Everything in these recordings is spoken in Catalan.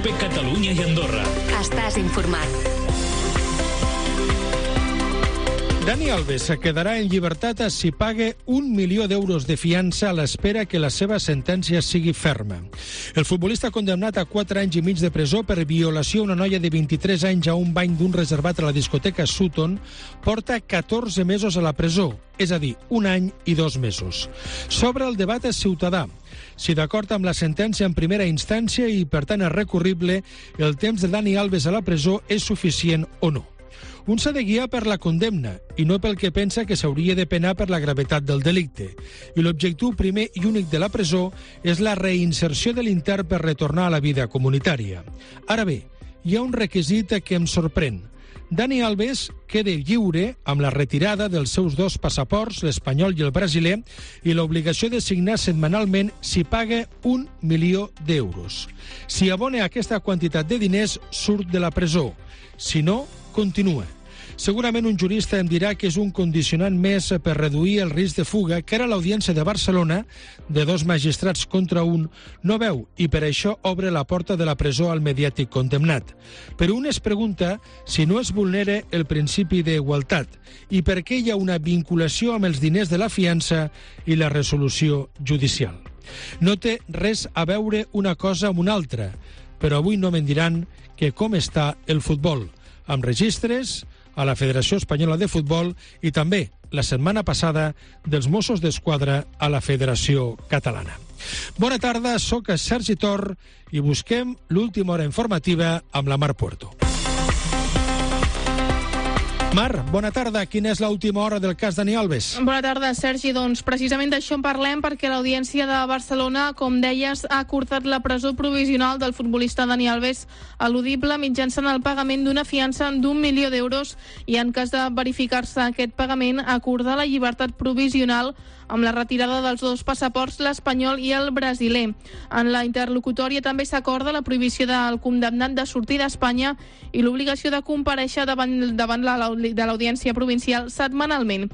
COPE Catalunya i Andorra. Estàs informat. Dani Alves quedarà en llibertat si paga 1 milió d'euros de fiança a l'espera que la seva sentència sigui ferma. El futbolista condemnat a 4 anys i mig de presó per violació a una noia de 23 anys a un bany d'un reservat a la discoteca Sutton porta 14 mesos a la presó, és a dir, 1 any i 2 mesos. S'obre el debat ciutadà. Si d'acord amb la sentència en primera instància i, per tant, és recurrible, el temps de Dani Alves a la presó és suficient o no. Un s'ha de guiar per la condemna i no pel que pensa que s'hauria de penar per la gravetat del delicte. I l'objectiu primer i únic de la presó és la reinserció de l'intern per retornar a la vida comunitària. Ara bé, hi ha un requisit que em sorprèn. Dani Alves queda lliure amb la retirada dels seus 2 passaports, l'espanyol i el brasiler, i l'obligació de signar setmanalment si paga 1 milió d'euros. Si abona aquesta quantitat de diners, surt de la presó. Si no, continua. Segurament un jurista em dirà que és un condicionant més per reduir el risc de fuga que ara l'Audiència de Barcelona, de 2 magistrats contra 1, no veu i per això obre la porta de la presó al mediàtic condemnat. Però un es pregunta si no es vulnera el principi d'igualtat i per què hi ha una vinculació amb els diners de la fiança i la resolució judicial. No té res a veure una cosa amb una altra, però avui no me'n diran que com està el futbol, amb registres a la Federació Espanyola de Futbol i també, la setmana passada, dels Mossos d'Esquadra a la Federació Catalana. Bona tarda, sóc Sergi Tor i busquem l'última hora informativa amb la Mar Puerto. Mar, bona tarda. Quina és l'última hora del cas Dani Alves? Bona tarda, Sergi. Doncs precisament d'això en parlem perquè l'Audiència de Barcelona, com deies, ha acordat la presó provisional del futbolista Dani Alves eludible mitjançant el pagament d'una fiança d'1 milió d'euros i en cas de verificar-se aquest pagament acordar la llibertat provisional amb la retirada dels 2 passaports, l'espanyol i el brasiler. En la interlocutòria també s'acorda la prohibició del condemnat de sortir d'Espanya i l'obligació de comparèixer davant de l'Audiència Provincial setmanalment.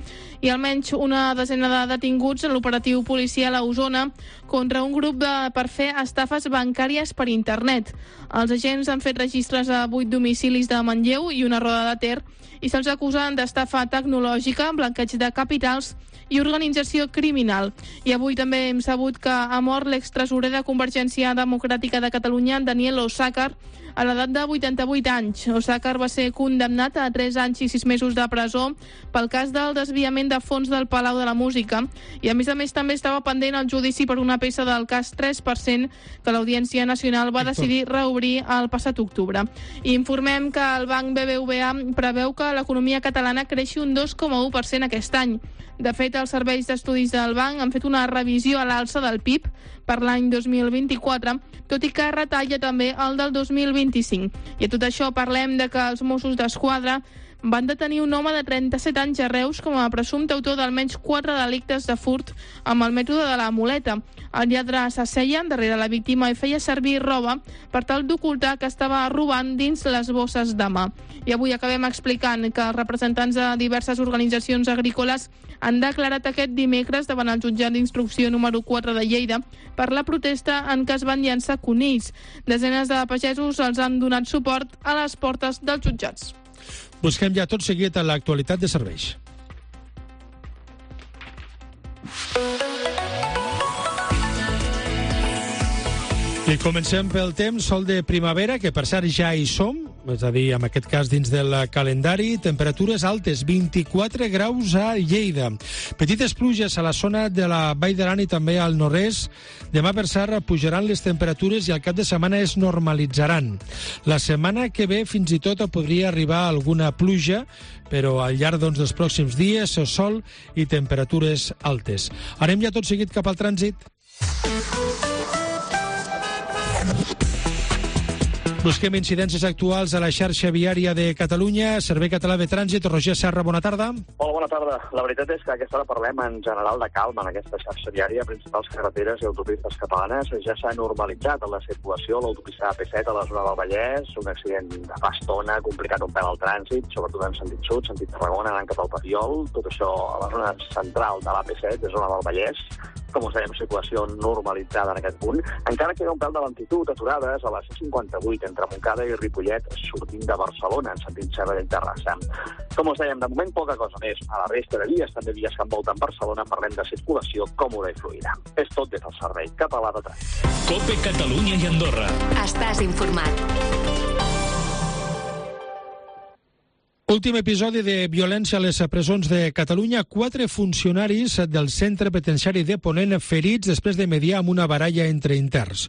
I almenys una desena de detinguts en l'operatiu policial a Osona contra un grup per fer estafes bancàries per internet. Els agents han fet registres a 8 domicilis de Manlleu i una roda de Ter i se'ls acusen d'estafa tecnològica, blanqueig de capitals i organització criminal. I avui també hem sabut que ha mort l'extresorer de Convergència Democràtica de Catalunya, Daniel Osàcar, a l'edat de 88 anys. Osàcar va ser condemnat a 3 anys i 6 mesos de presó pel cas del desviament de fons del Palau de la Música i a més també estava pendent el judici per una peça del cas 3% que l'Audiència Nacional va decidir reobrir el passat octubre. I informem que el banc BBVA preveu que l'economia catalana creixi un 2,1% aquest any. De fet, els serveis d'estudis del banc han fet una revisió a l'alça del PIB per l'any 2024, tot i que retalla també el del 2025. I a tot això parlem de que els Mossos d'Esquadra van detenir un home de 37 anys a Reus com a presumpte autor d'almenys 4 delictes de furt amb el mètode de la muleta. El lladre s'asseia darrere la víctima i feia servir roba per tal d'ocultar que estava robant dins les bosses de mà. I avui acabem explicant que els representants de diverses organitzacions agrícoles han declarat aquest dimecres davant el jutjat d'instrucció número 4 de Lleida per la protesta en què es van llançar conills. Desenes de pagesos els han donat suport a les portes dels jutjats. Busquem ja tot seguit a l'actualitat de serveis. I comencem pel temps, sol de primavera, que per cert ja hi som, és a dir, en aquest cas dins del calendari, temperatures altes, 24 graus a Lleida. Petites pluges a la zona de la Vall d'Aran i també al nord-est. Demà, per cert, pujaran les temperatures i al cap de setmana es normalitzaran. La setmana que ve fins i tot podria arribar alguna pluja, però al llarg dels pròxims dies, sol i temperatures altes. Anem ja tot seguit cap al trànsit. Busquem incidències actuals a la xarxa viària de Catalunya. Servei Català de Trànsit, Roger Serra, bona tarda. Hola, bona tarda. La veritat és que a aquesta hora parlem en general de calma en aquesta xarxa viària. Principals carreteres i autopistes catalanes ja s'ha normalitzat en la circulació. L'autopista AP7 a la zona del Vallès, un accident de fa estona, complicat un pèl al trànsit, sobretot en sentit sud, sentit Tarragona, anant cap al Papiol. Tot això a la zona central de l'AP7, de zona del Vallès. Com us dèiem, circulació normalitzada en aquest punt. Encara queda un pèl de lentitud, aturades a la C58 entre Montcada i Ripollet, sortint de Barcelona, en sentit Sabadell-Terrassa. Com us dèiem, de moment poca cosa més. A la resta de vies, també vies que envolten Barcelona, parlem de circulació còmoda i fluida. És tot des del Servei Català de Trànsit. COPE Catalunya i Andorra. Estàs informat. Últim episodi de violència a les presons de Catalunya. 4 funcionaris del centre penitenciari de Ponent ferits després de mediar amb una baralla entre interns.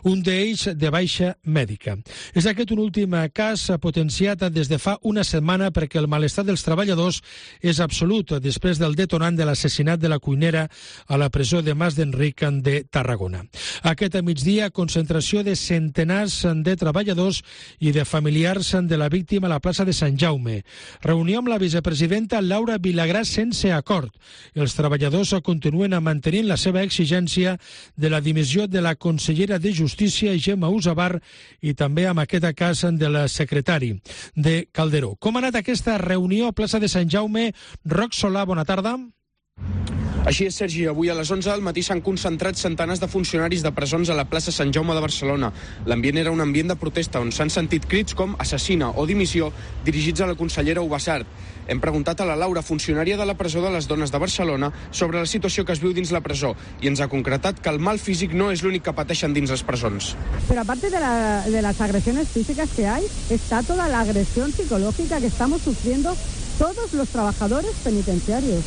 Un d'ells de baixa mèdica. És aquest un últim cas potenciat des de fa una setmana perquè el malestar dels treballadors és absolut després del detonant de l'assassinat de la cuinera a la presó de Mas d'Enric de Tarragona. Aquest migdia, concentració de centenars de treballadors i de familiars de la víctima a la plaça de Sant Jaume. Reunió amb la vicepresidenta Laura Vilagrà sense acord. Els treballadors continuen mantenint la seva exigència de la dimissió de la consellera de Justícia, Gemma Usabar, i també amb aquest cas del secretari de Calderó. Com ha anat aquesta reunió a plaça de Sant Jaume? Roc Solà, bona tarda. Així és, Sergi. Avui a les 11 del matí s'han concentrat centenars de funcionaris de presons a la plaça Sant Jaume de Barcelona. L'ambient era un ambient de protesta on s'han sentit crits com assassina o dimissió dirigits a la consellera Ubasart. Hem preguntat a la Laura, funcionària de la presó de les dones de Barcelona, sobre la situació que es viu dins la presó i ens ha concretat que el mal físic no és l'únic que pateixen dins les presons. Pero aparte de las agresiones físicas que hay, está toda la agresión psicológica que estamos sufriendo todos los trabajadores penitenciarios.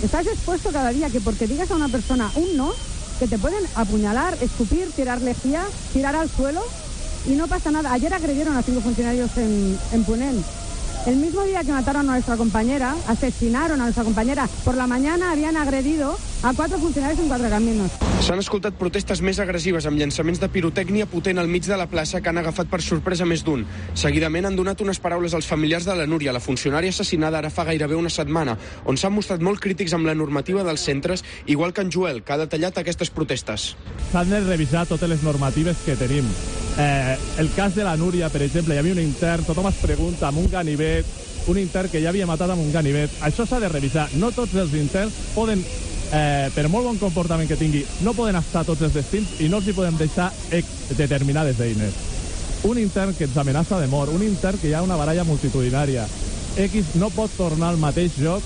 Estás expuesto cada día que porque digas a una persona un no, que te pueden apuñalar, escupir, tirar lejía, tirar al suelo y no pasa nada. Ayer agredieron a 5 funcionarios en Ponent. El mismo día que mataron a nuestra compañera, asesinaron a nuestra compañera, por la mañana habían agredido a 4 funcionaris en 4 caminos. S'han escoltat protestes més agressives amb llançaments de pirotècnia potent al mig de la plaça que han agafat per sorpresa més d'un. Seguidament han donat unes paraules als familiars de la Núria, la funcionària assassinada ara fa gairebé una setmana, on s'han mostrat molt crítics amb la normativa dels centres, igual que en Joel, que ha detallat aquestes protestes. S'han de revisar totes les normatives que tenim. El cas de la Núria, per exemple, hi havia un intern, tothom es pregunta amb un ganivet, un intern que ja havia matat amb un ganivet. Això s'ha de revisar. No tots els interns poden, per molt bon comportament que tingui, no poden estar tots els destins i no els hi podem deixar determinades eines. Un intern que ens amenaça de mort, un intern que hi ha una baralla multitudinària. X no pot tornar al mateix lloc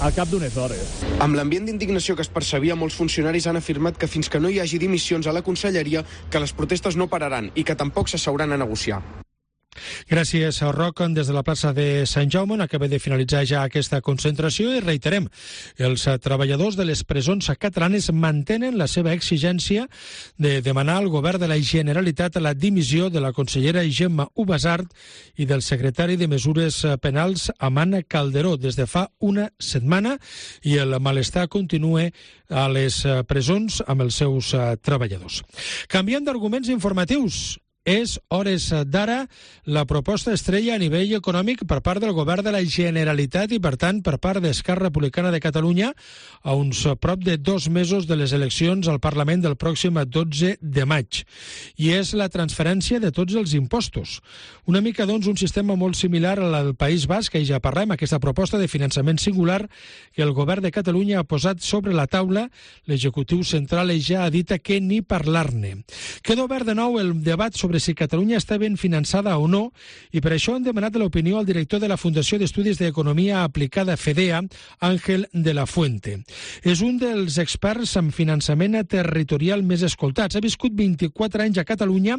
al cap d'unes hores. Amb l'ambient d'indignació que es percebia, molts funcionaris han afirmat que fins que no hi hagi dimissions a la conselleria, que les protestes no pararan i que tampoc s'asseuran a negociar. Gràcies, Roc. Des de la plaça de Sant Jaume on acaba de finalitzar ja aquesta concentració i reiterem, els treballadors de les presons catalanes mantenen la seva exigència de demanar al govern de la Generalitat la dimissió de la consellera Gemma Ubasart i del secretari de Mesures Penals Amana Calderó des de fa una setmana i el malestar continua a les presons amb els seus treballadors. Canviant d'arguments informatius, és, hores d'ara, la proposta estrella a nivell econòmic per part del govern de la Generalitat i, per tant, per part d'Esquerra Republicana de Catalunya a uns prop de 2 mesos de les eleccions al Parlament del pròxim 12 de maig. I és la transferència de tots els impostos. Una mica, doncs, un sistema molt similar al del País Basc, que ja parlem, aquesta proposta de finançament singular que el govern de Catalunya ha posat sobre la taula. L'executiu central ja ha dit que ni parlar-ne. Queda obert de nou el debat sobre si Catalunya està ben finançada o no, i per això hem demanat l'opinió al director de la Fundació d'Estudis d'Economia Aplicada FEDEA, Àngel de la Fuente. És un dels experts en finançament territorial més escoltats. Ha viscut 24 anys a Catalunya,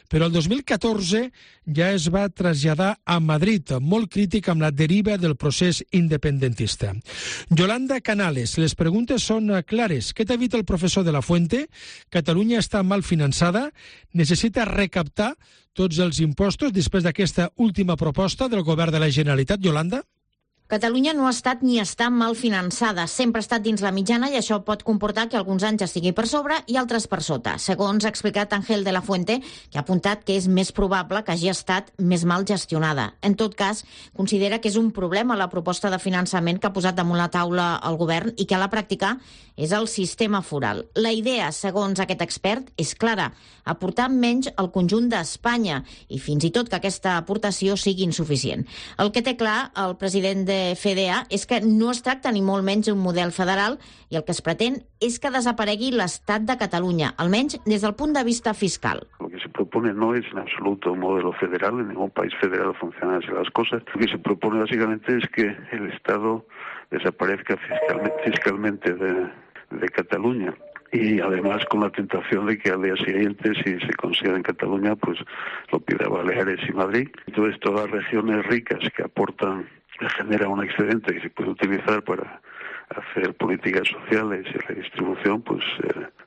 però el 2014 ja es va traslladar a Madrid, molt crític amb la deriva del procés independentista. Yolanda Canales, les preguntes són clares. Què t'ha dit el professor de la Fuente? Catalunya està mal finançada? Necessita recaptar tots els impostos després d'aquesta última proposta del govern de la Generalitat, Yolanda? Catalunya no ha estat ni està mal finançada, sempre ha estat dins la mitjana i això pot comportar que alguns anys estigui per sobre i altres per sota. Segons ha explicat Ángel de la Fuente, que ha apuntat que és més probable que hagi estat més mal gestionada. En tot cas, considera que és un problema la proposta de finançament que ha posat damunt la taula el govern i que a la pràctica és el sistema foral. La idea, segons aquest expert, és clara, aportar menys al conjunt d'Espanya i fins i tot que aquesta aportació sigui insuficient. El que té clar el president de FDA és que no es tracta ni molt menys d'un model federal i el que es pretén és que desaparegui l'Estat de Catalunya, almenys des del punt de vista fiscal. Lo que se propone no es en absoluto un modelo federal, en ningún país federal funcionan así las cosas. Lo que se propone básicamente es que el Estado desaparezca fiscalmente de Cataluña. Y además con la tentación de que al día siguiente, si se consigue en Cataluña, pues lo pida Baleares y Madrid. Entonces todas las regiones ricas que aportan, genera un excedente que se puede utilizar para hacer políticas sociales y redistribución, pues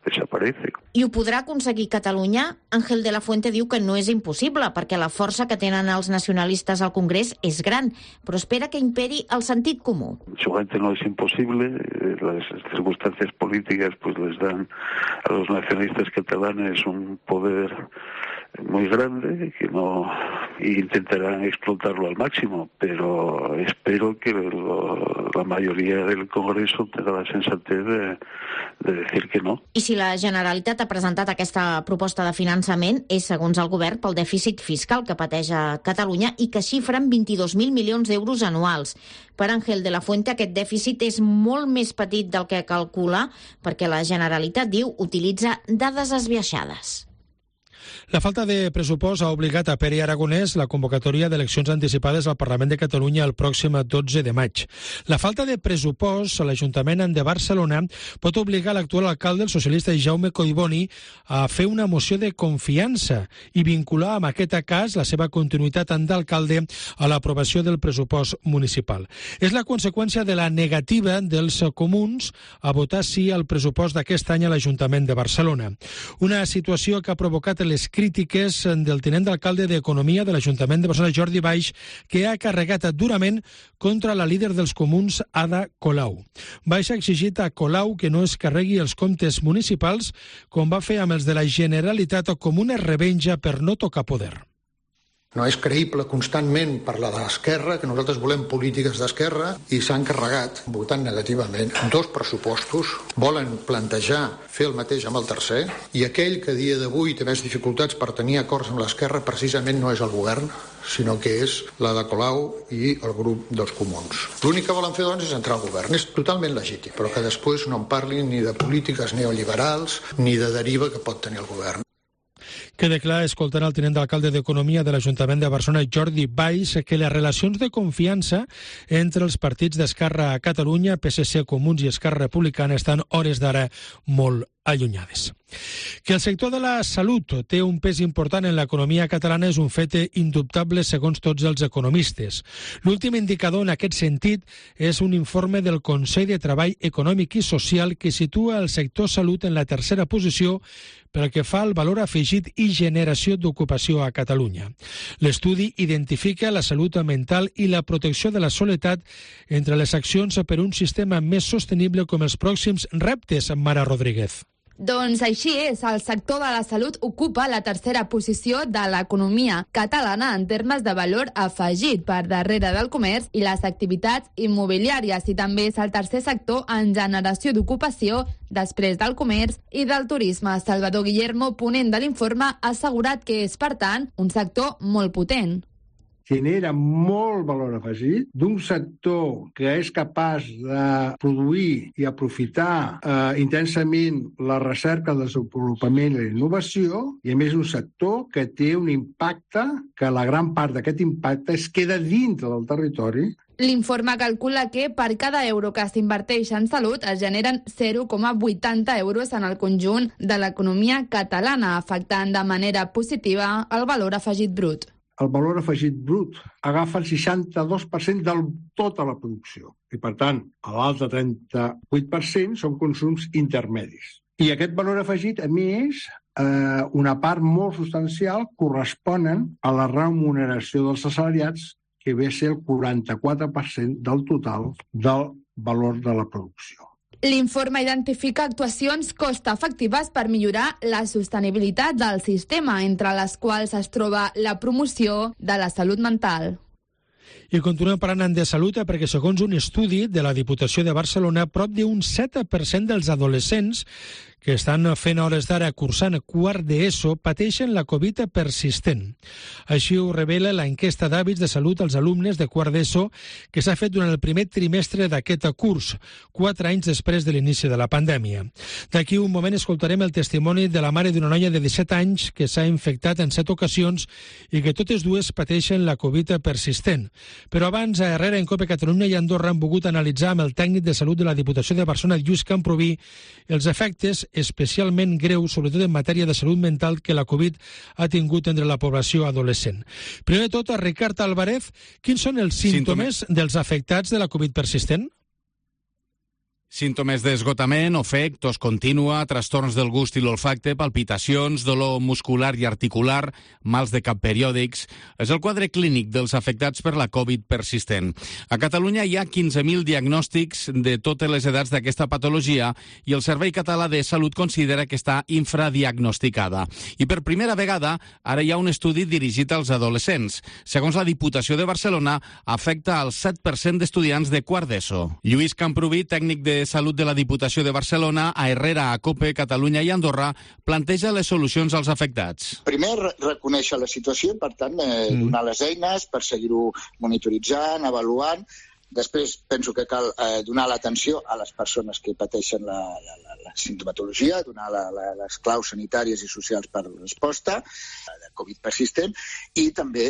desaparece. I ho podrà aconseguir Catalunya? Ángel de la Fuente diu que no és impossible, perquè la força que tenen els nacionalistes al Congrés és gran, però espera que imperi el sentit comú. Seguramente no es imposible, las circunstancias políticas pues les dan a los nacionalistas catalanes un poder muy grande que no intentarán explotarlo al máximo, pero espero que la mayoría del Congreso tenga la sensatez de decir que no. I si la Generalitat ha presentat aquesta proposta de finançament és, segons el govern, pel dèficit fiscal que pateix a Catalunya i que xifra en 22.000 milions d'euros anuals. Per Ángel de la Fuente, aquest dèficit és molt més petit del que calcula perquè la Generalitat, diu, utilitza dades esbiaixades. La falta de pressupost ha obligat a Pere Aragonès la convocatòria d'eleccions anticipades al Parlament de Catalunya el pròxim 12 de maig. La falta de pressupost a l'Ajuntament de Barcelona pot obligar l'actual alcalde, el socialista Jaume Collboni, a fer una moció de confiança i vincular amb aquest cas la seva continuïtat d'alcalde a l'aprovació del pressupost municipal. És la conseqüència de la negativa dels comuns a votar sí al pressupost d'aquest any a l'Ajuntament de Barcelona. Una situació que ha provocat les crítiques del tinent d'alcalde d'Economia de l'Ajuntament de Barcelona, Jordi Baix, que ha carregat durament contra la líder dels comuns, Ada Colau. Baix ha exigit a Colau que no es carregui els comptes municipals, com va fer amb els de la Generalitat, com una revenja per no tocar poder. No és creïble constantment parlar de l'esquerra, que nosaltres volem polítiques d'esquerra, i s'han carregat, votant negativament, 2 pressupostos, volen plantejar fer el mateix amb el tercer, i aquell que a dia d'avui té més dificultats per tenir acords amb l'esquerra precisament no és el govern, sinó que és la de Colau i el grup dels comuns. L'únic que volen fer, doncs, és entrar al govern. És totalment legítim, però que després no en parlin ni de polítiques neoliberals ni de deriva que pot tenir el govern. Queda clar, escoltant el tinent d'alcalde d'Economia de l'Ajuntament de Barcelona, Jordi Baix, que les relacions de confiança entre els partits d'Esquerra a Catalunya, PSC, Comuns i Esquerra Republicana estan hores d'ara molt allunyades. Que el sector de la salut té un pes important en l'economia catalana és un fet indubtable segons tots els economistes. L'últim indicador en aquest sentit és un informe del Consell de Treball Econòmic i Social que situa el sector salut en la tercera posició pel que fa al valor afegit i generació d'ocupació a Catalunya. L'estudi identifica la salut mental i la protecció de la soledat entre les accions per un sistema més sostenible com els pròxims reptes, Mara Rodríguez. Doncs així és, el sector de la salut ocupa la tercera posició de l'economia catalana en termes de valor afegit, per darrere del comerç i les activitats immobiliàries, i també és el tercer sector en generació d'ocupació després del comerç i del turisme. Salvador Guillermo, ponent de l'informe, ha assegurat que és, per tant, un sector molt potent. Genera molt valor afegit d'un sector que és capaç de produir i aprofitar intensament la recerca, el desenvolupament i la innovació, i a més un sector que té un impacte, que la gran part d'aquest impacte es queda dintre del territori. L'informe calcula que per cada euro que s'inverteix en salut es generen 0,80 euros en el conjunt de l'economia catalana, afectant de manera positiva el valor afegit brut. El valor afegit brut agafa el 62% de tota la producció. I, per tant, l'altre 38% són consums intermedis. I aquest valor afegit, a més, una part molt substancial corresponen a la remuneració dels assalariats que ve a ser el 44% del total del valor de la producció. L'informe identifica actuacions cost-efectives per millorar la sostenibilitat del sistema, entre les quals es troba la promoció de la salut mental. I continuem parlant de salut perquè, segons un estudi de la Diputació de Barcelona, prop d'un 7% dels adolescents que estan fent hores d'ara cursant quart d'ESO pateixen la Covid persistent. Així ho revela l'enquesta d'hàbits de salut als alumnes de quart d'ESO que s'ha fet durant el primer trimestre d'aquest curs, 4 anys després de l'inici de la pandèmia. D'aquí un moment escoltarem el testimoni de la mare d'una noia de 17 anys que s'ha infectat en 7 ocasions i que totes dues pateixen la Covid persistent. Però abans, a Herrera, en COPE Catalunya i Andorra han volgut analitzar amb el tècnic de salut de la Diputació de Barcelona, Lluís Camproví, els efectes especialment greus, sobretot en matèria de salut mental, que la Covid ha tingut entre la població adolescent. Primer de tot, a Ricard Álvarez, quins són els símptomes dels afectats de la Covid persistent? Símptomes d'esgotament, ofec, tos contínua, trastorns del gust i l'olfacte, palpitacions, dolor muscular i articular, mals de cap periòdics. És el quadre clínic dels afectats per la Covid persistent. A Catalunya hi ha 15.000 diagnòstics de totes les edats d'aquesta patologia i el Servei Català de Salut considera que està infradiagnosticada. I per primera vegada, ara hi ha un estudi dirigit als adolescents. Segons la Diputació de Barcelona, afecta al 7% d'estudiants de quart d'ESO. Lluís Camproví, tècnic de Salut de la Diputació de Barcelona, a Herrera, a COPE, Catalunya i Andorra, planteja les solucions als afectats. Primer, reconèixer la situació i, per tant, donar les eines per seguir-ho monitoritzant, avaluant. Després, penso que cal donar l'atenció a les persones que pateixen la sintomatologia, donar les claus sanitàries i socials per la resposta de Covid persistent i també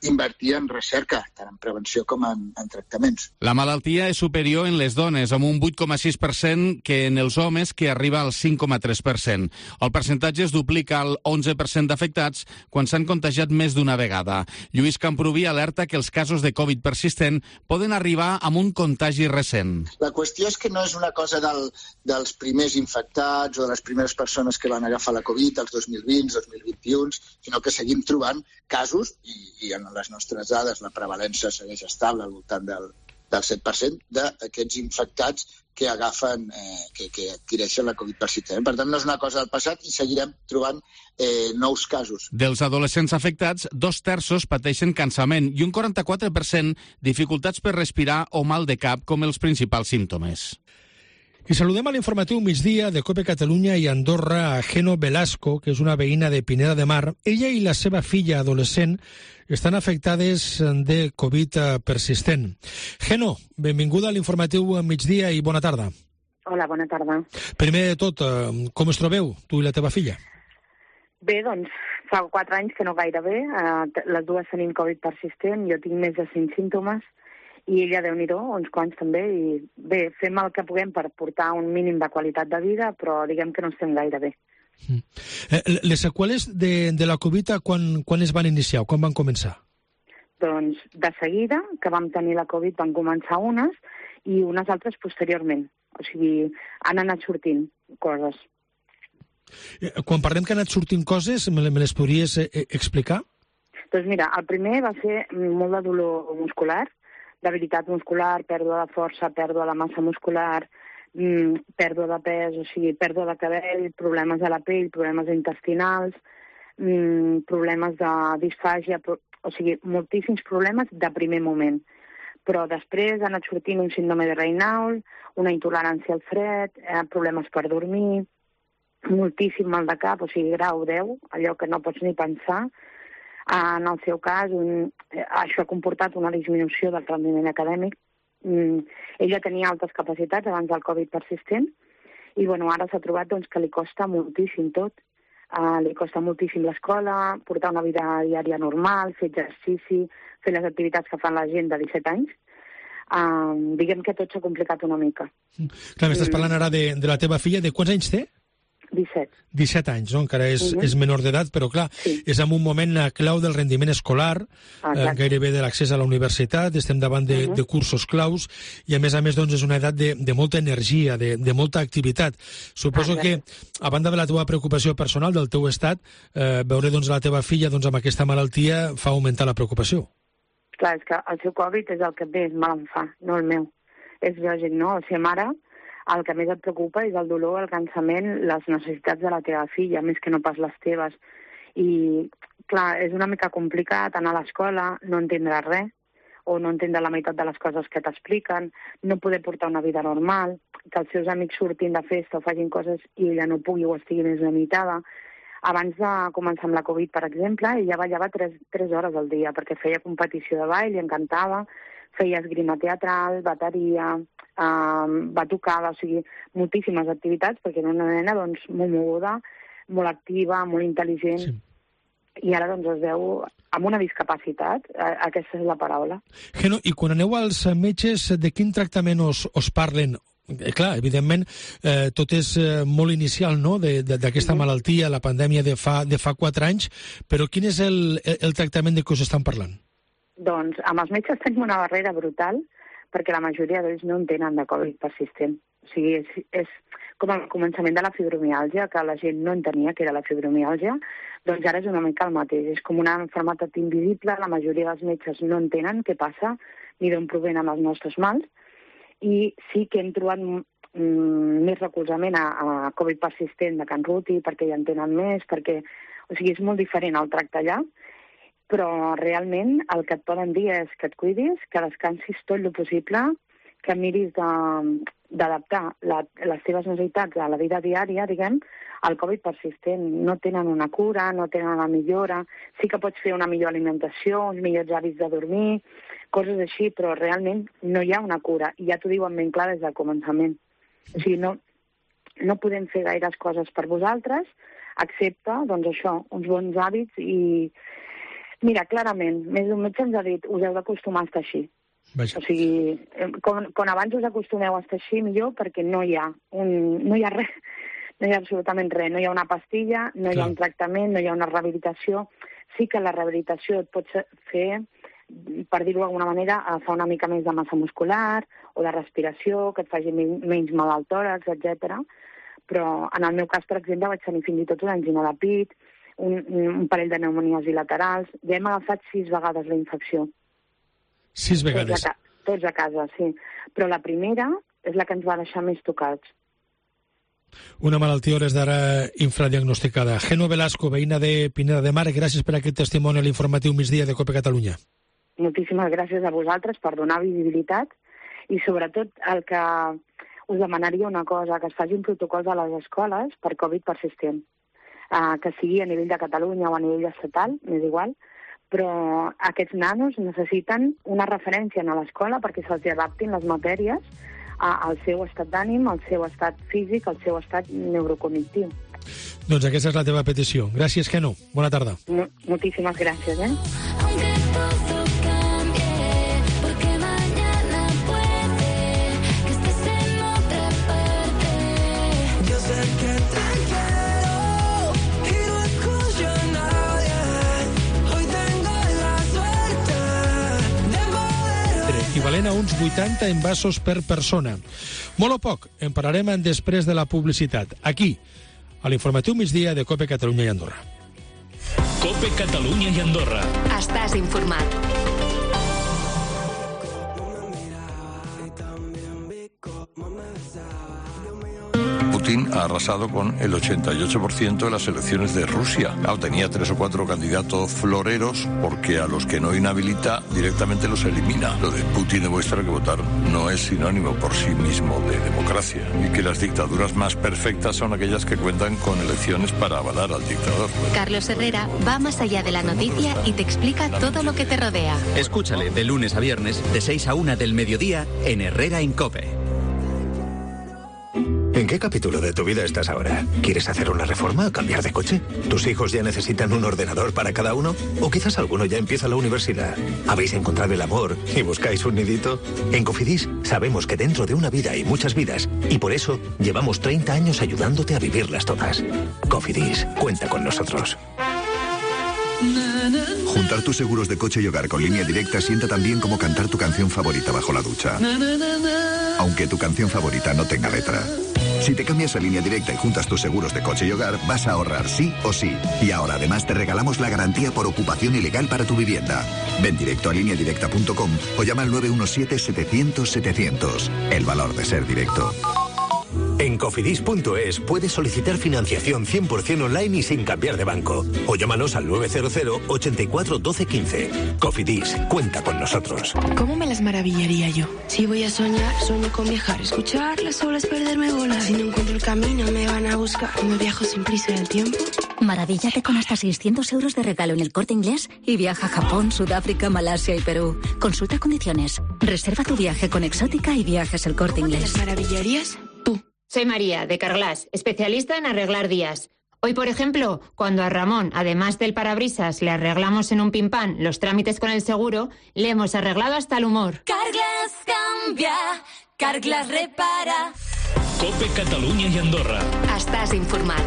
invertir en recerca, tant en prevenció com en tractaments. La malaltia és superior en les dones, amb un 8,6% que en els homes, que arriba al 5,3%. El percentatge es duplica al 11% d'afectats quan s'han contagiat més d'una vegada. Lluís Camproví alerta que els casos de Covid persistent poden arribar amb un contagi recent. La qüestió és que no és una cosa dels primers infectats o de les primeres persones que van agafar la Covid, els 2020, 2021, sinó que seguim trobant casos, i en les nostres dades la prevalença segueix estable al voltant del 7% d'aquests infectats que agafen, que adquireixen la Covid persistent. Per tant, no és una cosa del passat i seguirem trobant nous casos. Dels adolescents afectats, 2/3 pateixen cansament i un 44% dificultats per respirar o mal de cap com els principals símptomes. I saludem a l'informatiu migdia de COPE Catalunya i Andorra a Geno Velasco, que és una veïna de Pineda de Mar. Ella i la seva filla adolescent estan afectades de Covid persistent. Geno, benvinguda a l'informatiu migdia i bona tarda. Hola, bona tarda. Primer de tot, com us trobeu, tu i la teva filla? Bé, doncs, fa 4 anys que no gaire bé. Les dues tenim Covid persistent, jo tinc més de 5 símptomes, i ella, Déu-n'hi-do, uns quants també, i bé, fem el que puguem per portar un mínim de qualitat de vida, però diguem que no estem gaire bé. Les seqüeles de la Covid, quan es van iniciar, quan van començar? Doncs de seguida que vam tenir la Covid van començar unes i unes altres posteriorment. O sigui, han anat sortint coses. Quan parlem que han anat sortint coses, me les podries explicar? Doncs mira, el primer va ser molt de dolor muscular, debilitat muscular, pèrdua de força, pèrdua de massa muscular, pèrdua de pes, o sigui, pèrdua de cabell, problemes a la pell, problemes intestinals, problemes de disfàgia, o sigui, moltíssims problemes de primer moment. Però després ha anat sortint un síndrome de Raynaud, una intolerància al fred, problemes per dormir, moltíssim mal de cap, o sigui, grau 10, allò que no pots ni pensar. En el seu cas, això ha comportat una disminució del rendiment acadèmic. Ella tenia altes capacitats abans del Covid persistent i ara s'ha trobat que li costa moltíssim tot. Li costa moltíssim l'escola, portar una vida diària normal, fer exercici, fer les activitats que fan la gent de 17 anys. Diguem que tot s'ha complicat una mica. Clar, m'estàs parlant ara de la teva filla. De quants anys té? 17. 17 anys, no? Encara és menor d'edat, però clar, és en un moment clau del rendiment escolar, gairebé de l'accés a la universitat, estem davant de cursos claus, i a més és una edat de molta energia, de molta activitat. Suposo que, a banda de la teva preocupació personal, del teu estat, veure la teva filla amb aquesta malaltia fa augmentar la preocupació. Clar, és que el seu Covid és el que més mal em fa, no el meu. És lògic, no? Ser mare, el que més et preocupa és el dolor, el cansament, les necessitats de la teva filla, més que no pas les teves. I, clar, és una mica complicat anar a l'escola, no entendre res, o no entendre la meitat de les coses que t'expliquen, no poder portar una vida normal, que els seus amics surtin de festa o facin coses i ella no pugui o estigui més limitada. Abans de començar amb la Covid, per exemple, ella ballava 3 hores al dia perquè feia competició de ball, li encantava, feia esgrima teatral, bateria, batucada, o sigui, moltíssimes activitats perquè era una nena doncs, molt moguda, molt activa, molt intel·ligent, i ara doncs es veu amb una discapacitat, aquesta és la paraula. Geno, i quan aneu als metges, de quin tractament us parlen? Clar, evidentment, tot és molt inicial, no?, d'aquesta malaltia, la pandèmia de fa 4 anys, però quin és el tractament de què us estan parlant? Doncs amb els metges tenim una barrera brutal, perquè la majoria d'ells no en tenen de Covid persistent. O sigui, és com el començament de la fibromiàlgia, que la gent no entenia que era la fibromiàlgia, doncs ara és una mica el mateix. És com una malaltia invisible, la majoria dels metges no entenen què passa ni d'on provenen els nostres mals, i sí que hem trobat més recolzament a Covid persistent de Can Ruti, perquè ja en tenen més, perquè, o sigui, és molt diferent el tracte allà, però realment el que et poden dir és que et cuidis, que descansis tot el possible, que miris d'adaptar les teves necessitats a la vida diària, diguem, al Covid persistent. No tenen una cura, no tenen una millora, sí que pots fer una millor alimentació, uns millors hàbits de dormir, coses així, però realment no hi ha una cura, i ja t'ho diuen ben clar des del començament. O sigui, no podem fer gaires coses per vosaltres, excepte, doncs això, uns bons hàbits i... Mira, clarament, més d'un metge ens ha dit, us heu d'acostumar a estar així. Vaja. O sigui, quan abans us acostumeu a estar així, millor, perquè no hi ha res, no hi ha absolutament res, no hi ha una pastilla, no hi ha un tractament, no hi ha una rehabilitació. Sí que la rehabilitació et pot fer, per dir-ho d'alguna manera, fa una mica més de massa muscular o de respiració, que et faci menys mal al tòrax, etc. Però en el meu cas, per exemple, vaig tenir fins i tot una angina de pit, un parell de pneumonies bilaterals. Ja hem agafat 6 vegades la infecció. 6 vegades? Tots a casa, sí. Però la primera és la que ens va deixar més tocats. Una malaltia hores d'ara infradiagnosticada. Geno Velasco, veïna de Pineda de Mar, gràcies per aquest testimoni a l'informatiu migdia de COPE Catalunya. Moltíssimes gràcies a vosaltres per donar visibilitat i sobretot el que us demanaria una cosa, que es faci un protocol de les escoles per Covid persistent, que sigui a nivell de Catalunya o a nivell estatal, m'és igual, però aquests nanos necessiten una referència a l'escola perquè se'ls adaptin les matèries al seu estat d'ànim, al seu estat físic, al seu estat neurocognitiu. Doncs aquesta és la teva petició. Gràcies, Geno. Bona tarda. Moltíssimes gràcies, equivalent a uns 80 envasos per persona. Molt o poc, en parlarem després de la publicitat. Aquí, a l'informatiu migdia de COPE Catalunya i Andorra. COPE Catalunya i Andorra. Estàs informat. Putin ha arrasado con el 88% de las elecciones de Rusia. Claro, tenía 3 o 4 candidatos floreros porque a los que no inhabilita directamente los elimina. Lo de Putin demuestra que votar no es sinónimo por sí mismo de democracia y que las dictaduras más perfectas son aquellas que cuentan con elecciones para avalar al dictador. Carlos Herrera va más allá de la noticia y te explica todo lo que te rodea. Escúchale de lunes a viernes de 6 a 1 del mediodía en Herrera en COPE. ¿En qué capítulo de tu vida estás ahora? ¿Quieres hacer una reforma o cambiar de coche? ¿Tus hijos ya necesitan un ordenador para cada uno? ¿O quizás alguno ya empieza la universidad? ¿Habéis encontrado el amor y buscáis un nidito? En Cofidis sabemos que dentro de una vida hay muchas vidas y por eso llevamos 30 años ayudándote a vivirlas todas. Cofidis, cuenta con nosotros. Juntar tus seguros de coche y hogar con Línea Directa sienta tan bien como cantar tu canción favorita bajo la ducha. Aunque tu canción favorita no tenga letra. Si te cambias a Línea Directa y juntas tus seguros de coche y hogar, vas a ahorrar sí o sí. Y ahora además te regalamos la garantía por ocupación ilegal para tu vivienda. Ven directo a lineadirecta.com o llama al 917-700-700. El valor de ser directo. En Cofidis.es puedes solicitar financiación 100% online y sin cambiar de banco. O llámanos al 900 84 12 15. Cofidis, cuenta con nosotros. ¿Cómo me las maravillaría yo? Si voy a soñar, sueño con viajar. Escuchar las olas, perderme bolas. Si no encuentro el camino, me van a buscar. Me viajo sin prisa en el tiempo. Maravíllate con hasta 600 euros de regalo en El Corte Inglés y viaja a Japón, Sudáfrica, Malasia y Perú. Consulta condiciones. Reserva tu viaje con Exótica y Viajes El Corte Inglés. ¿Te las maravillarías? Tú. Soy María, de Carglass, especialista en arreglar días. Hoy, por ejemplo, cuando a Ramón, además del parabrisas, le arreglamos en un pimpán los trámites con el seguro, le hemos arreglado hasta el humor. Carglass cambia, Carglass repara. COPE Catalunya i Andorra. Estàs informat.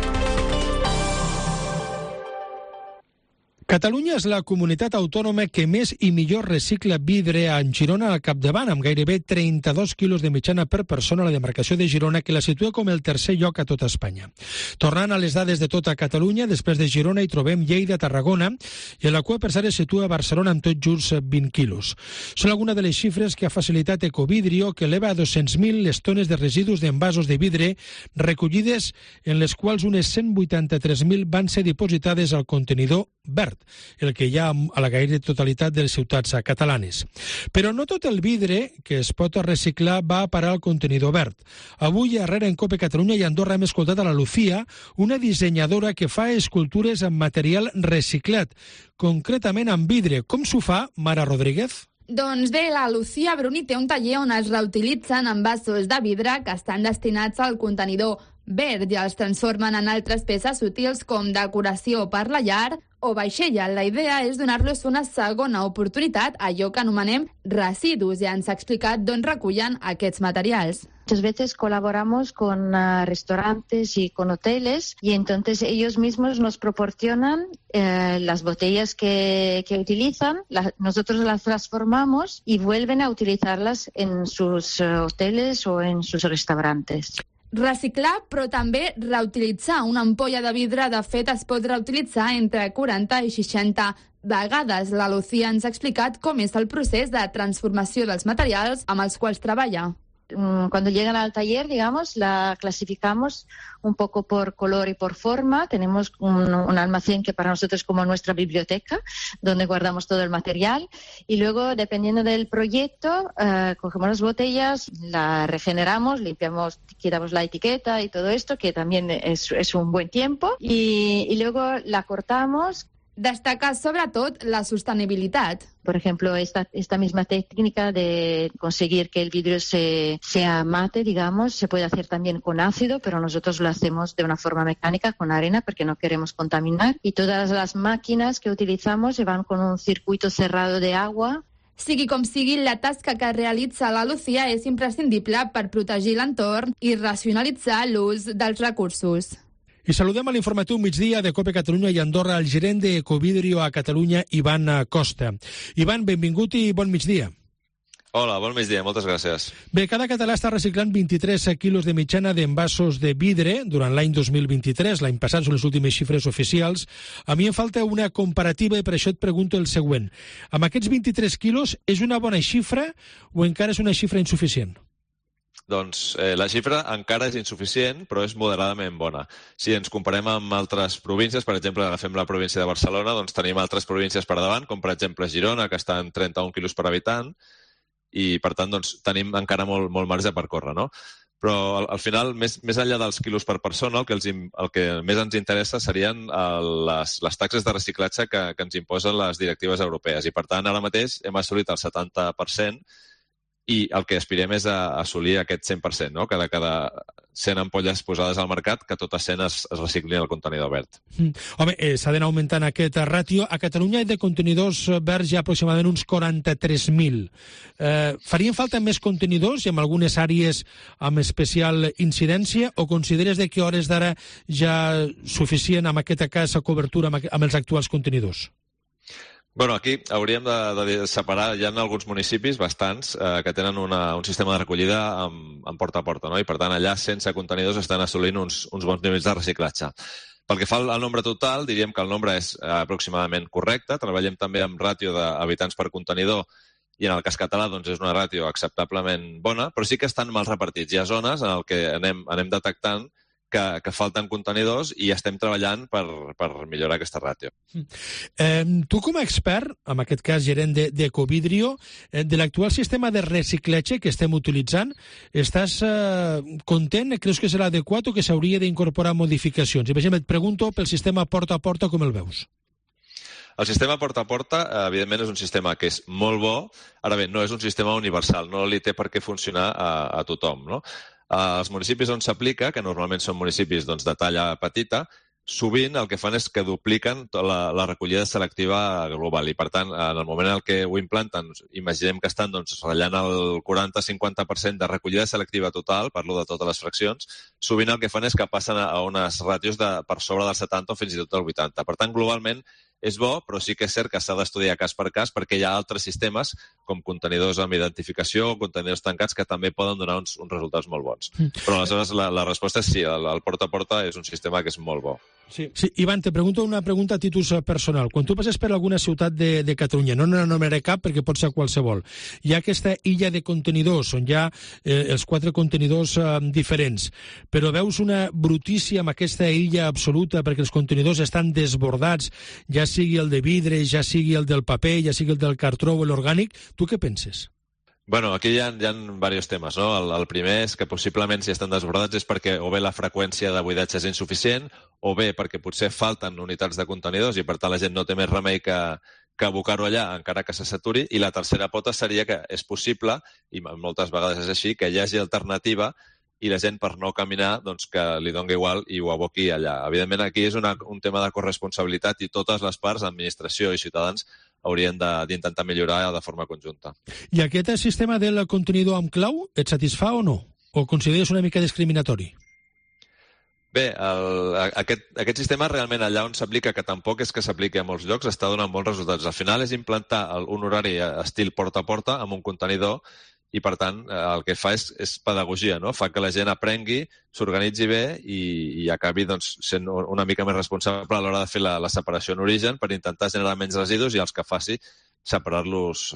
Catalunya és la comunitat autònoma que més i millor recicla vidre en Girona al capdavant, amb gairebé 32 quilos de mitjana per persona a la demarcació de Girona, que la situa com el tercer lloc a tota Espanya. Tornant a les dades de tota Catalunya, després de Girona hi trobem Lleida, Tarragona, i a la cua per cert es situa Barcelona amb tot just 20 quilos. Són algunes de les xifres que ha facilitat Ecovidrio, que eleva a 200.000 les tones de residus d'envasos de vidre recollides, en les quals unes 183.000 van ser dipositades al contenidor verd, el que hi ha a la gairebé totalitat de les ciutats catalanes. Però no tot el vidre que es pot reciclar va a parar al contenidor verd. Avui, a Herrera, en COPE Catalunya i Andorra, hem escoltat a la Lucía, una dissenyadora que fa escultures amb material reciclat, concretament amb vidre. Com s'ho fa, Mara Rodríguez? Doncs bé, la Lucía Bruni té un taller on es reutilitzen envasos de vidre que estan destinats al contenidor verd i els transformen en altres peces útils com decoració per la llar o vaixella. La idea és donar-los una segona oportunitat a allò que anomenem residus, i ens ha explicat d'on recullen aquests materials. Muchas veces colaboramos con restaurantes y con hoteles y entonces ellos mismos nos proporcionan las botellas que utilizan, nosotros las transformamos y vuelven a utilizarlas en sus hoteles o en sus restaurantes. Reciclar, però també reutilitzar. Una ampolla de vidre, de fet, es pot reutilitzar entre 40 i 60 vegades. La Lucía ens ha explicat com és el procés de transformació dels materials amb els quals treballa. Cuando llegan al taller, digamos, la clasificamos un poco por color y por forma. Tenemos un almacén que para nosotros es como nuestra biblioteca, donde guardamos todo el material. Y luego, dependiendo del proyecto, cogemos las botellas, la regeneramos, limpiamos, quitamos la etiqueta y todo esto, que también es un buen tiempo. Y luego la cortamos. Destaca sobretot la sostenibilitat. Por ejemplo, esta misma técnica de conseguir que el vidrio sea mate, digamos, se puede hacer también con ácido, pero nosotros lo hacemos de una forma mecánica, con arena, porque no queremos contaminar. Y todas las máquinas que utilizamos van con un circuito cerrado de agua. Sigui com sigui, la tasca que realitza la Lucía és imprescindible per protegir l'entorn i racionalitzar l'ús dels recursos. I saludem a l'informatiu migdia de COPE Catalunya i Andorra el gerent de Ecovidrio a Catalunya, Ivan Costa. Ivan, benvingut i bon migdia. Hola, bon migdia, moltes gràcies. Bé, cada català està reciclant 23 quilos de mitjana d'envasos de vidre durant l'any 2023. L'any passat són les últimes xifres oficials. A mi em falta una comparativa i per això et pregunto el següent. Amb aquests 23 quilos, és una bona xifra o encara és una xifra insuficient? Doncs la xifra encara és insuficient, però és moderadament bona. Si ens comparem amb altres províncies, per exemple, agafem la província de Barcelona, doncs tenim altres províncies per davant, com per exemple Girona, que està en 31 quilos per habitant, i per tant doncs, tenim encara molt marge per córrer, no? Però al final, més enllà dels quilos per persona, el que més ens interessa serien les taxes de reciclatge que ens imposen les directives europees. I per tant, ara mateix hem assolit el 70%, i el que aspirem és a assolir aquest 100%, no? Que de cada 100 ampolles posades al mercat, que totes 100 es reciclin al contenidor verd. Home, s'ha d'anar augmentant aquest ràtio. A Catalunya hi ha de contenidors verds ja aproximadament uns 43.000. Farien falta més contenidors i en algunes àrees amb especial incidència, o consideres que a hores d'ara ja suficient amb aquesta casa cobertura amb els actuals contenidors? Bueno, aquí hauríem de separar, hi ha alguns municipis, bastants, que tenen un sistema de recollida en porta a porta, no? I per tant allà sense contenidors estan assolint uns bons nivells de reciclatge. Pel que fa al nombre total, diríem que el nombre és aproximadament correcte. Treballem també amb ràtio d'habitants per contenidor i en el cas català doncs, és una ràtio acceptablement bona, però sí que estan mal repartits. Hi ha zones en què anem detectant que falten contenidors i estem treballant per millorar aquesta ràtio. Tu com a expert, en aquest cas gerent d'Ecovidrio, de l'actual sistema de reciclatge que estem utilitzant, estàs content? Creus que serà adequat o que s'hauria d'incorporar modificacions? I, per exemple, et pregunto pel sistema porta a porta, com el veus? El sistema porta a porta, evidentment, és un sistema que és molt bo. Ara bé, no és un sistema universal, no li té per què funcionar a tothom, no? Els municipis on s'aplica, que normalment són municipis doncs, de talla petita, sovint el que fan és que dupliquen la recollida selectiva global i, per tant, en el moment en què ho implanten, imaginem que estan ratllant el 40-50% de recollida selectiva total, parlo de totes les fraccions, sovint el que fan és que passen a unes ràtios per sobre del 70 o fins i tot del 80. Per tant, globalment, és bo, però sí que és cert que s'ha d'estudiar cas per cas perquè hi ha altres sistemes, com contenidors amb identificació o contenidors tancats, que també poden donar uns resultats molt bons. Però aleshores la resposta és sí, el porta a porta és un sistema que és molt bo. Sí, Ivan, te pregunto una pregunta a títol personal. Quan tu passes per alguna ciutat de Catalunya, no n'anomenaré cap perquè pot ser qualsevol, hi ha aquesta illa de contenidors on hi ha els 4 contenidors diferents, però veus una brutícia amb aquesta illa absoluta perquè els contenidors estan desbordats, ja sigui el de vidre, ja sigui el del paper, ja sigui el del cartró o l'orgànic. Tu què penses? Bueno, aquí hi ha diversos temes, no? El primer és que possiblement si estan desbordats és perquè o bé la freqüència de buidatge és insuficient o bé perquè potser falten unitats de contenidors i per tant la gent no té més remei que abocar-ho allà encara que se saturi. I la tercera pota seria que és possible, i moltes vegades és així, que hi hagi alternativa i la gent per no caminar doncs, que li doni igual i ho aboqui allà. Evidentment aquí és un tema de corresponsabilitat i totes les parts, administració i ciutadans, haurien d'intentar millorar de forma conjunta. I aquest sistema del contenidor amb clau et satisfà o no? O consideres una mica discriminatori? Bé, aquest sistema realment allà on s'aplica, que tampoc és que s'apliqui a molts llocs, està donant bons resultats. Al final és implantar un horari estil porta a porta amb un contenidor i, per tant, el que fa és pedagogia, no? Fa que la gent aprengui, s'organitzi bé i acabi sent una mica més responsable a l'hora de fer la separació en origen per intentar generar menys residus i els que faci separar-los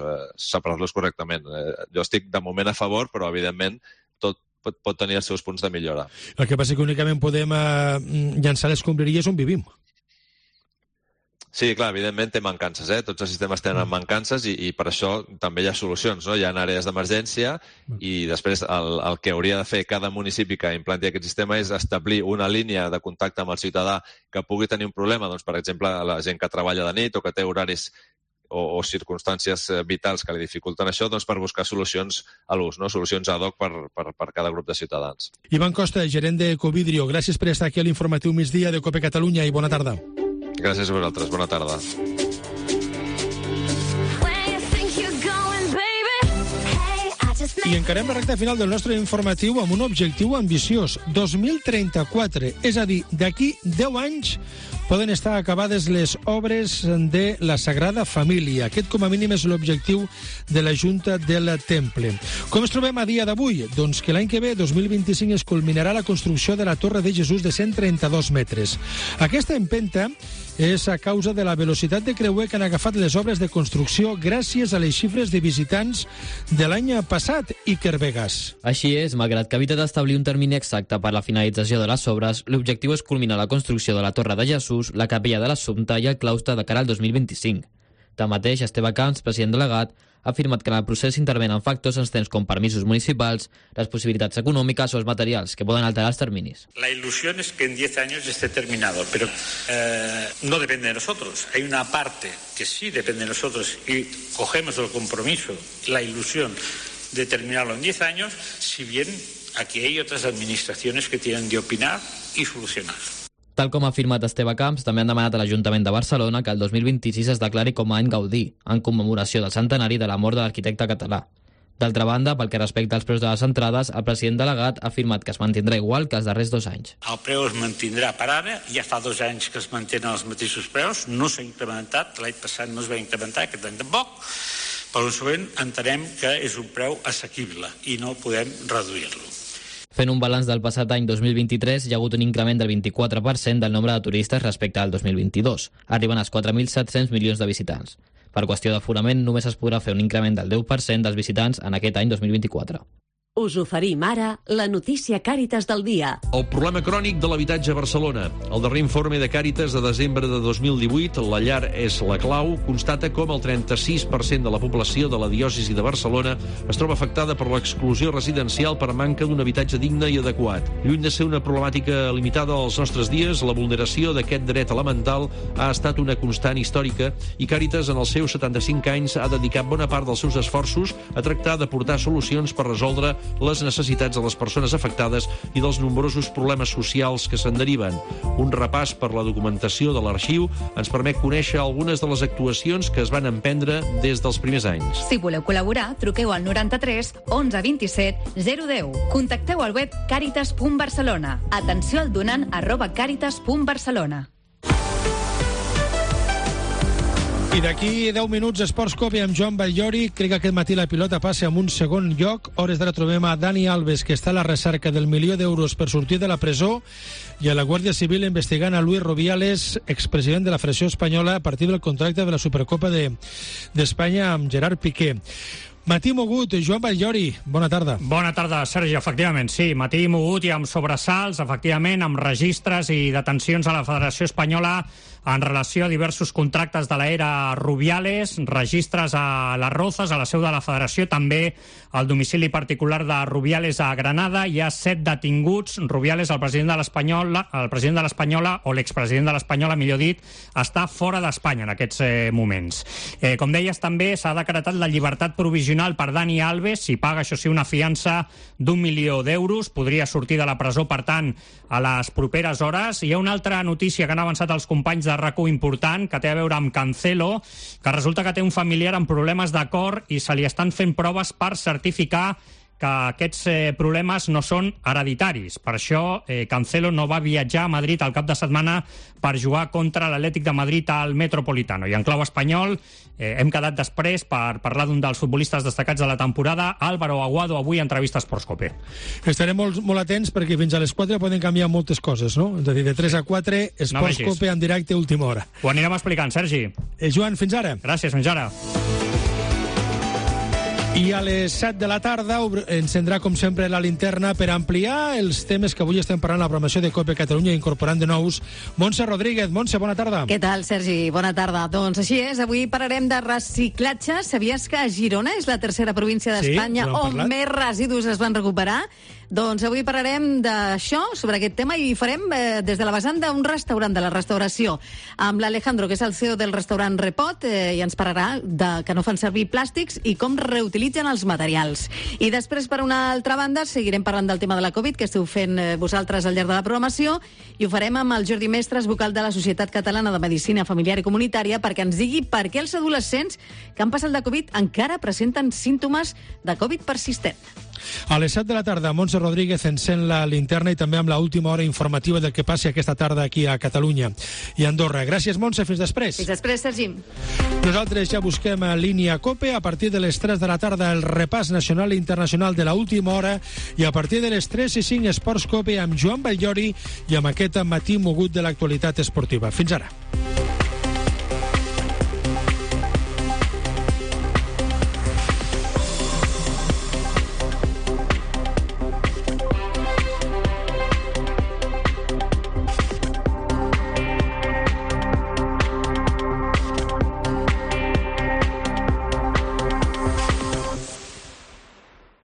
correctament. Jo estic de moment a favor, però, evidentment, tot pot tenir els seus punts de millora. El que passa és que únicament podem llançar les escombraries on vivim. Sí, clar, evidentment té mancances, Tots els sistemes tenen mancances i per això també hi ha solucions, no? Hi ha àrees d'emergència i després el que hauria de fer cada municipi que implanti aquest sistema és establir una línia de contacte amb el ciutadà que pugui tenir un problema, doncs, per exemple, la gent que treballa de nit o que té horaris o circumstàncies vitals que li dificulten això, doncs per buscar solucions a l'ús, no? Solucions ad hoc per cada grup de ciutadans. Ivan Costa, gerent d'Ecovidrio, gràcies per estar aquí a l'informatiu migdia de COPE Catalunya i bona tarda. Gràcies a vosaltres. Bona tarda. I encarem la recta final del nostre informatiu amb un objectiu ambiciós. 2034, és a dir, d'aquí 10 anys poden estar acabades les obres de la Sagrada Família. Aquest, com a mínim, és l'objectiu de la Junta del Temple. Com ens trobem a dia d'avui? Doncs que l'any que ve, 2025, es culminarà la construcció de la Torre de Jesús de 132 metres. Aquesta empenta és a causa de la velocitat de creuer que han agafat les obres de construcció gràcies a les xifres de visitants de l'any passat, Iker Vegas. Així és, malgrat que evita d'establir un termini exacte per la finalització de les obres, l'objectiu és culminar la construcció de la Torre de Jesús, la capella de l'Assumpta i el claustre de cara al 2025. Tanmateix, Esteve Camps, president delegat, ha afirmat que en el procés intervenen factors externs com permisos municipals, las possibilitats econòmiques o els materials, que poden alterar els terminis. La ilusión es que en 10 años esté terminado, pero no depende de nosotros. Hay una parte que sí depende de nosotros y cogemos el compromiso, la ilusión de terminarlo en 10 años, si bien aquí hay otras administraciones que tienen de opinar y solucionar. Tal com ha afirmat Esteve Camps, també han demanat a l'Ajuntament de Barcelona que el 2026 es declari com a any Gaudí, en commemoració del centenari de la mort de l'arquitecte català. D'altra banda, pel que respecta als preus de les entrades, el president delegat ha afirmat que es mantindrà igual que els darrers 2 anys. El preu es mantindrà per ara, ja fa 2 anys que es mantenen els mateixos preus, no s'ha incrementat, l'any passat no es va incrementar, aquest any tampoc, per consegüent entenem que és un preu assequible i no podem reduir-lo. Fent un balanç del passat any 2023, hi ha hagut un increment del 24% del nombre de turistes respecte al 2022, arribant als 4.700 milions de visitants. Per qüestió d'aforament, només es podrà fer un increment del 10% dels visitants en aquest any 2024. Us oferim ara la notícia Càritas del dia. El problema crònic de l'habitatge a Barcelona. El darrer informe de Càritas de desembre de 2018, La llar és la clau, constata com el 36% de la població de la diòcesi de Barcelona es troba afectada per l'exclusió residencial per manca d'un habitatge digne i adequat. Lluny de ser una problemàtica limitada als nostres dies, la vulneració d'aquest dret elemental ha estat una constant històrica i Càritas, en els seus 75 anys, ha dedicat bona part dels seus esforços a tractar d'aportar solucions per resoldre les necessitats de les persones afectades i dels nombrosos problemes socials que se'n deriven. Un repàs per la documentació de l'arxiu ens permet conèixer algunes de les actuacions que es van emprendre des dels primers anys. Si voleu col·laborar, truqueu al 93 11 27 010. Contacteu al web caritas.barcelona. Atenció al donant @caritas.barcelona. I d'aquí 10 minuts, Esports Cope amb Joan Batllori. Crec que aquest matí la pilota passa en un segon lloc. Hores d'ara trobem a Dani Alves, que està a la recerca del $1.000.000 per sortir de la presó, i a la Guàrdia Civil investigant a Luis Rubiales, expresident de la Federació Espanyola, a partir del contracte de la Supercopa d'Espanya amb Gerard Piqué. Matí mogut, Joan Batllori, bona tarda. Bona tarda, Sergi, efectivament, sí, matí mogut i amb sobresalts, efectivament, amb registres i detencions a la Federació Espanyola en relació a diversos contractes de l'era Rubiales, registres a les Rozas, a la seu de la Federació, també al domicili particular de Rubiales a Granada. Hi ha 7 detinguts. Rubiales, el president de l'Espanyola, o l'expresident de l'Espanyola, millor dit, està fora d'Espanya en aquests moments. Com deies, també s'ha decretat la llibertat provisional per Dani Alves, si paga, això sí, una fiança d'1.000.000 podria sortir de la presó, per tant, a les properes hores. Hi ha una altra notícia que han avançat els companys de RAC1 important, que té a veure amb Cancelo, que resulta que té un familiar amb problemes de cor i se li estan fent proves per certificar que aquests problemes no són hereditaris. Per això Cancelo no va viatjar a Madrid al cap de setmana per jugar contra l'Atlètic de Madrid al Metropolitano. I en clau espanyol hem quedat després per parlar d'un dels futbolistes destacats de la temporada, Álvaro Aguado, avui a entrevista a Esports Cope. Estarem molt atents perquè fins a les 4 poden canviar moltes coses, no? És a dir, de 3 a 4, Esports Cope en directe a última hora. Ho anirem explicant, Sergi. Joan, fins ara. Gràcies, fins ara. I a les 7 de la tarda encendrà, com sempre, la linterna per ampliar els temes que avui estem parlant a la programació de COPE Catalunya, incorporant de nous Montse Rodríguez. Montse, bona tarda. Què tal, Sergi? Bona tarda. Doncs així és, avui parlarem de reciclatge. Sabies que Girona és la tercera província d'Espanya on més residus es van recuperar? Doncs avui parlarem d'això, sobre aquest tema, i farem des de la vessant d'un restaurant, de la restauració, amb l'Alejandro, que és el CEO del restaurant Repot, i ens parlarà que no fan servir plàstics i com reutilitzen els materials. I després, per una altra banda, seguirem parlant del tema de la Covid, que esteu fent vosaltres al llarg de la programació, i ho farem amb el Jordi Mestres, vocal de la Societat Catalana de Medicina Familiar i Comunitària, perquè ens digui per què els adolescents que han passat la Covid encara presenten símptomes de Covid persistent. A les 7 de la tarda, Montse Rodríguez encén la linterna i també amb l'última hora informativa del que passi aquesta tarda aquí a Catalunya i a Andorra. Gràcies, Montse. Fins després. Fins després, Sergi. Nosaltres ja busquem a línia COPE. A partir de les 3 de la tarda, el repàs nacional i internacional de l'última hora, i a partir de les 3 i 5, Esports COPE amb Joan Batllori i amb aquest matí mogut de l'actualitat esportiva. Fins ara.